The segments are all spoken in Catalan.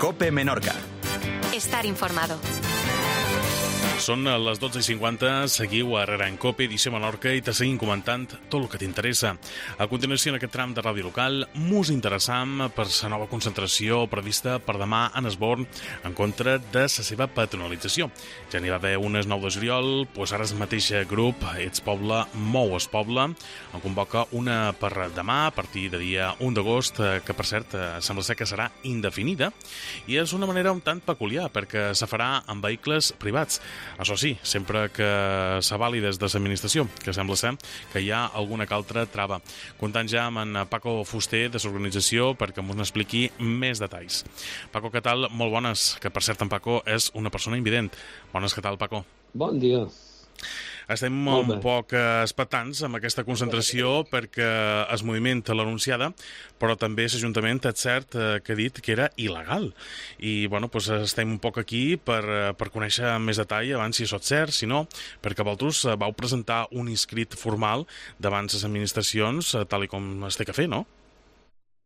COPE Menorca. Estar informado. Són les 12:50, seguiu a Herrera en COPE, edició Menorca, i te seguim comentant tot el que t'interessa. A continuació, en aquest tram de ràdio local, mos interessam per la nova concentració prevista per demà en Esborn en contra de la seva patronalització. Ja n'hi va haver unes 9 de juliol, doncs ara el mateix grup, Ets Poble, Mou es Poble, en convoca una per demà, a partir de dia 1 d'agost, que per cert sembla ser que serà indefinida, i és una manera un tant peculiar, perquè se farà en vehicles privats. Això sí, sempre que s'avali des de l'administració, que sembla ser que hi ha alguna que altra trava. Comptant ja amb en Paco Fuster de l'organització perquè ens n'expliqui més detalls. Paco, què tal? Molt bones, que per cert en Paco és una persona invident. Bones, què tal, Paco? Bon dia. Estem un poc expectants amb aquesta concentració perquè el moviment l'ha anunciada, però també l'Ajuntament és cert que ha dit que era il·legal. I bueno, doncs estem un poc aquí per conèixer més detall abans si això és cert, si no, perquè vosaltres vau presentar un inscrit formal davant les administracions, tal com es té que fer, no?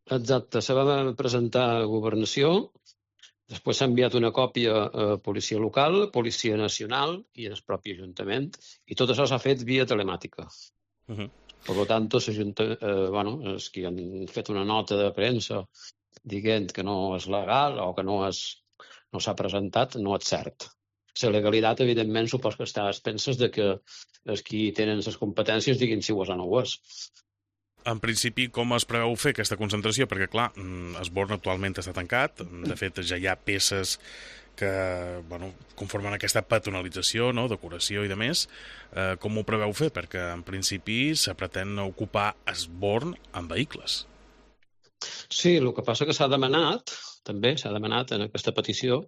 Exacte, se va presentar a Governació, després s'ha enviat una còpia a Policia Local, Policia Nacional i el propi Ajuntament, i tot això s'ha fet via telemàtica. Per tant, els que han fet una nota de premsa dient que no és legal o que no s'ha presentat, no és cert. La legalitat, evidentment, supos que està a expenses de que els qui tenen les competències diguin si ho és o no ho és. En principi, com es preveu fer aquesta concentració? Perquè, clar, Esborn actualment està tancat. De fet, ja hi ha peces que conformen aquesta patronalització, no? Decoració i demés. Com ho preveu fer? Perquè, en principi, se pretén ocupar Esborn amb vehicles. Sí, el que passa que s'ha demanat en aquesta petició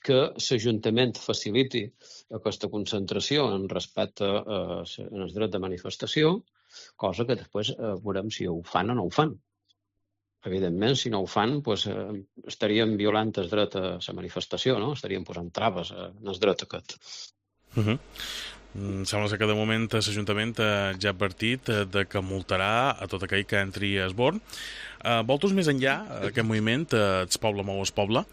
que l'Ajuntament faciliti aquesta concentració en respecte al dret de manifestació, cosa que després veurem si ho fan o no ho fan. Evidentment, si no ho fan, doncs, estaríem violant el dret a la manifestació, no? Estaríem posant traves en el dret aquest. Sembla ser que de moment l'Ajuntament ja ha advertit que multarà a tot aquell que entri a Esborn. Vosaltres més enllà, aquest moviment, Ets Poble, Mou es Poble,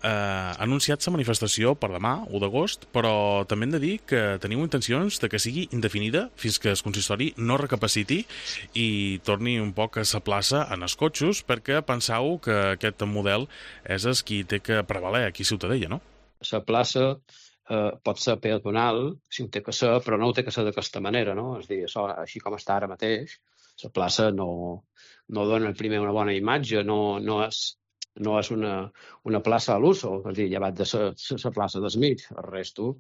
ha anunciat la manifestació per demà, 1 d'agost, però també hem de dir que teniu intencions de que sigui indefinida fins que el consistori no recapaciti i torni un poc a la plaça en els cotxos, perquè penseu que aquest model és el qui té que prevaler aquí a Ciutadella, no? La plaça pot ser peatonal, si ho té que ser, però no ho té que ser d'aquesta manera, no? És a dir, això, així com està ara mateix, la plaça no dona primer una bona imatge, no és una plaça a l'uso, és a dir, llevat de la plaça del mig, el resto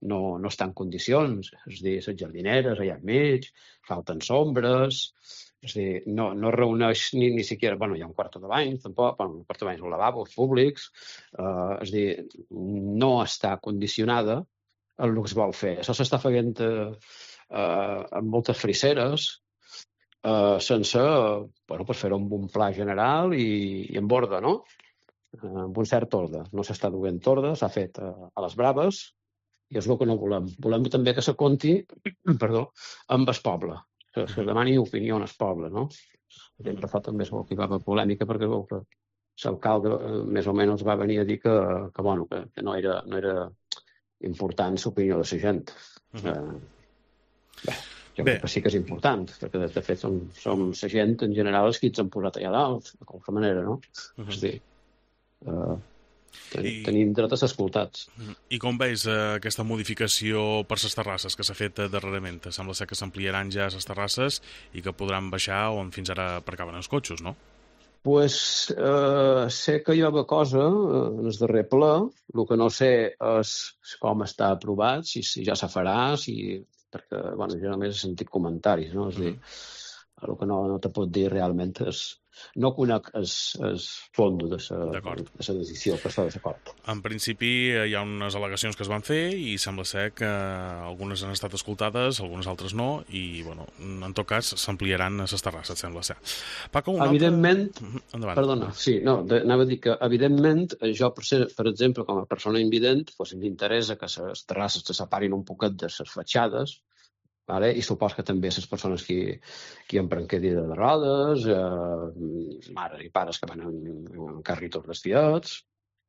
no està en condicions, és a dir, les jardineres allà al mig, falten sombres, és a dir, no reuneix ni siquiera, hi ha un quarto de bany, tampoc, un quarto de bany és un lavabo, públics, és a dir, no està condicionada el que es vol fer. Això s'està fent amb moltes friseres, sense fer-ho amb un pla general i amb ordre, no? Amb un cert ordre. No s'està duent ordre, s'ha fet a les braves i és el que no volem. Volem també que se compti amb el poble, que es demani opinió al poble, no? Sempre fa també que hi va haver polèmica perquè l'alcalde més o menys va venir a dir que no era important l'opinió de la gent. Jo crec que sí que és important, perquè de fet som la gent en general els que ens han posat allà dalt, de qualsevol manera, no? És a dir, tenim dret a ser escoltats. I com veus aquesta modificació per les terrasses que s'ha fet darrerament? Sembla ser que s'ampliaran ja les terrasses i que podran baixar on fins ara aparcaven els cotxes, no? Pues sé que hi ha una cosa en el darrer ple, el que no sé és com està aprovat, si ja se farà, perquè jo només he sentit comentaris, no? És a dir, el que no te pot dir realment és no conec el fons de la decisió que està d'acord. En principi hi ha unes al·legacions que es van fer i sembla ser que algunes han estat escoltades, algunes altres no, i en tot cas s'ampliaran les terrasses, sembla ser. Paco, evidentment, endavant. Perdona, sí, anava a dir que evidentment jo, per exemple, com a persona invident, m'interessa que les terrasses se separin un poquet de les fatxades, i supos que també les persones que empren cadira de rodes, mares i pares que van en carritos vestidets,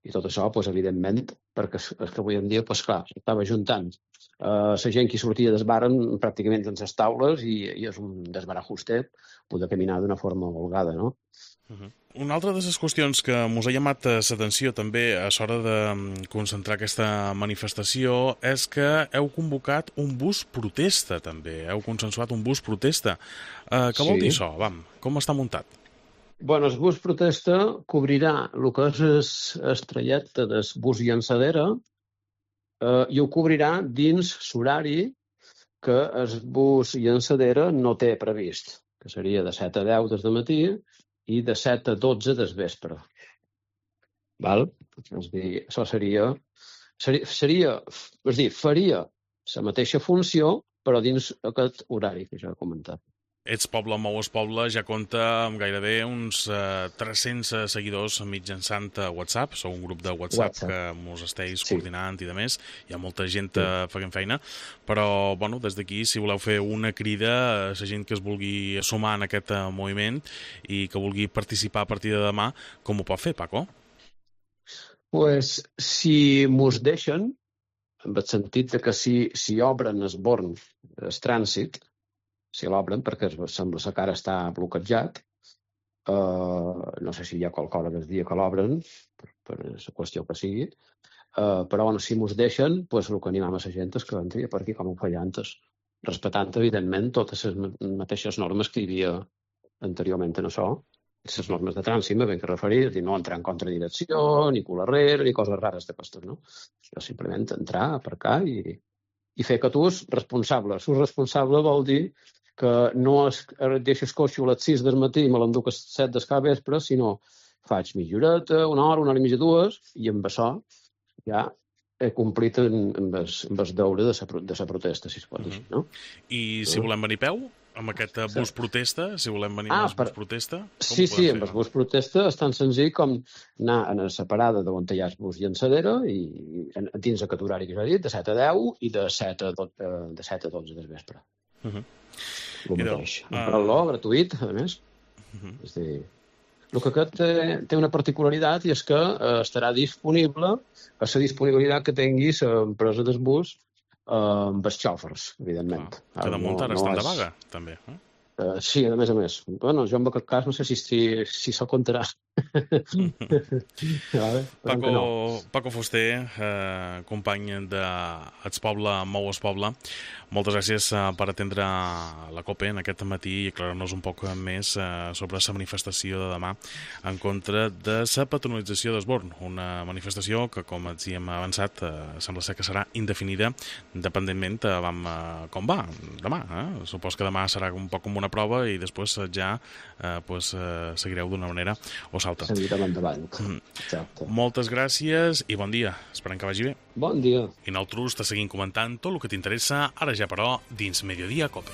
I tot això, doncs, evidentment, perquè és que avui en dia, doncs, clar, s'estava juntant la gent que sortia del bar pràcticament en les taules i és un desbarajuste poder caminar d'una forma holgada, no? Una altra de les qüestions que mos ha llamat l'atenció també a l'hora de concentrar aquesta manifestació és que heu convocat un bus protesta també, heu consensuat un bus protesta. Què vol dir això? Com està muntat? Bueno, el bus protesta cobrirà el que és el trajecte del bus llançadera i ho cobrirà dins l'horari que el bus llançadera no té previst, que seria de 7 a 10 des de matí i de 7 a 12 des vespre. Val? És dir, això faria la mateixa funció, però dins aquest horari que ja he comentat. Ets Poble, Mous Poble ja compta amb gairebé uns 300 seguidors mitjançant WhatsApp. Sou un grup de WhatsApp que mos esteu coordinant i de més. Hi ha molta gent fent feina, però bueno, des d'aquí, si voleu fer una crida a la gent que es vulgui sumar en aquest moviment i que vulgui participar a partir de demà, com ho pot fer, Paco? Pues, si mos deixen, en el sentit de que si obren el Born, el trànsit, si l'obren, perquè sembla que ara està bloquejat. No sé si hi ha qualque hora del dia que l'obren, per la qüestió que sigui, però bueno, si mos deixen, pues, el que animam a la gent és que entri per aquí com ho feia antes, respectant, evidentment, totes les mateixes normes que hi havia anteriorment en això. Les normes de trànsit me ben que referir, és dir, no entrar en contradirecció, ni cul arrere, ni coses rares d'aquestes, no? Això simplement entrar, aparcar i fer que tu és responsable. Si és responsable vol dir que no deixes coixo a les 6 del matí i me l'enduc a les 7 del cap vespre, sinó faig mitja horeta, una hora i mitja, 2, i amb això ja he complit amb el deure de la protesta, si es pot dir, no? I si volem venir a peu, amb aquest bus protesta, si volem venir amb el bus protesta, com sí, amb el bus protesta és tan senzill com anar a la parada d'on hi ha el bus llançadera i dins aquest horari que ja he dit, de 7 a 10 i de 7 a 12 del vespre. El mateix. Emprant-lo, gratuït, a més. És a dir, el que aquest té una particularitat i és que estarà disponible a la disponibilitat que tingui l'empresa del bus amb els xòfers, evidentment. Que damunt ara estan de vaga, també. Sí, a més. Bueno, jo en aquest cas no sé si s'ho comptarà. Paco Fuster, company d'Ets Poble, Mous Poble, moltes gràcies per atendre la COPE en aquest matí i aclarar-nos un poc més sobre la manifestació de demà en contra de la patronalització d'Esborn, una manifestació que, com ens hi hem avançat, sembla ser que serà indefinida, independentment com va demà. Supos que demà serà un poc com una prova i després ja seguireu d'una manera o l'altra. Seguirem endavant. Exacte. Moltes gràcies i bon dia. Esperem que vagi bé. Bon dia. I nosaltres te seguim comentant tot el que t'interessa, ara ja però, dins Mediodía Cope.